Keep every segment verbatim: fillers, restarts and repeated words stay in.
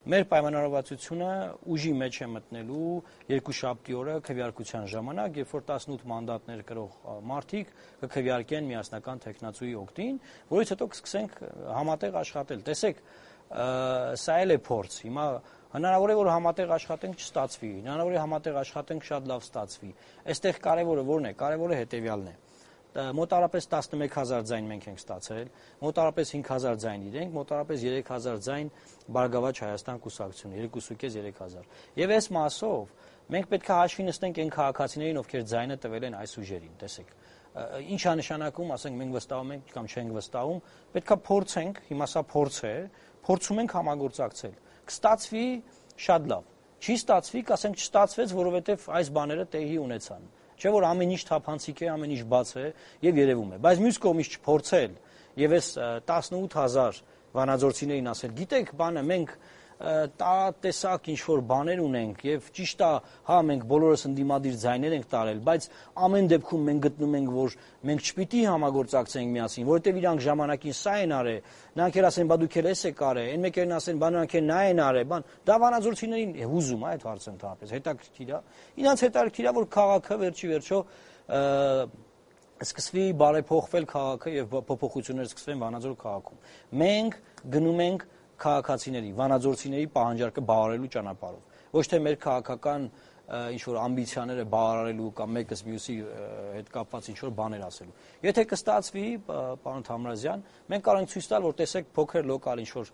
Մեր պայմանավորվածությունը ուժի մեջ է մտնելու երկուշաբթի օրը քվեարկության ժամանակ, երբ որ տասնութ մանդատներ կրող մարդիկ կքվեարկեն միասնական թեկնածուի օգտին, որից հետո կսկսենք համատեղ աշխատել։ Տեսեք, սա էլ է փորձ։ Հիմա հնարավոր է որ համատեղ աշխատենք չստացվի, հնարավոր է համատեղ աշխատենք շատ լավ ստացվի։ Այստեղ կարևորը որն է, կարևորը հետևյալն է։ Մոտարապես տասնմեկ հազար ձայն մենք ենք ստացել, մոտարապես հինգ հազար ձայն իրենք, մոտարապես երեք հազար ձայն Բարգավաճ Հայաստան կուսակցությունը, երկուսուկես երեք հազար։ Եվ այս մասով մենք պետք է հաշվի նստենք այն քաղաքացիներին, ովքեր ձայնը տվել են այս ուժերին, տեսեք։ Ինչ է նշանակում, ասենք մենք վստահում ենք կամ չենք վստահում, պետք է փորձենք, հիմա սա փորձ է, փորձում ենք համագործակցել։ Կստացվի շատ լավ։ Չի ստացվի, կասենք չստացվեց, որովհետև այս բաները տեղի ունեցան։ Չէ՞ որ ամեն ինչ թափանցիկ է, ամեն ինչ բաց է եւ երևում է։ Բայց մյուս կողմից չփորձել եւ այս տասնութ հազար վանաձորցիներին ասել, գիտեք, բանը մենք տեսակ ինչ որ բաներ ունենք եւ ճիշտ է, հա մենք բոլորս ընդդիմադիր ձայներ ենք տարել, բայց ամեն դեպքում մենք գտնում ենք, որ մենք չպիտի համագործակցենք միասին, որովհետեւ իրանք ժամանակին սա են արել, նրանք էլ ասեն, բա դուք էլ էս եք արել, այն մեկերն ասեն, բա նրանք էլ նա են արել, բան, դա վանաձորցիներին հուզում է այդ հարցը ընդհանրապես, հետաքրքիր է։ Իրանց հետաքրքիր է, որ քաղաքը վերջի վերջո սկսվի բարեփոխվել քաղաքը եւ փոփոխություններ սկսվեն Վանաձոր քաղաքում։ Մենք գնում ենք քաղաքացիների, վանաձորցիների պահանջարկը բավարարելու ճանապարհով։ Ոչ թե մեր քաղաքական ինչ որ ամբիցիաները բավարարելու կամ մեկս մյուսի հետ կապված ինչ որ բաներ ասելու։ Եթե կստացվի, պարոն Թամրազյան, մենք կարող ենք ցույց տալ, որ տեսեք փոքր լոկալ ինչ որ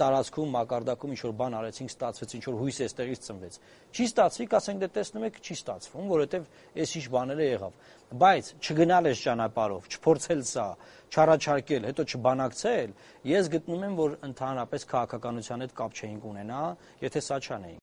տարածքում, մակարդակում ինչ որ բան արեցինք, ստացվեց, ինչ որ հույս էստեղից ծնվեց։ Չի ստացվի, կասենք դե տեսնում եք, չի ստացվում, որովհետև այս ինչ բաները եղավ։ Բայց չգնալ այս ճանապարհով, չփորձել սա, չառաջարկել, հետո չբանակցել, ես գտնում եմ, որ ընդհանրապես քաղաքականության հետ կապ չէինք ունենա, եթե սա չանեինք։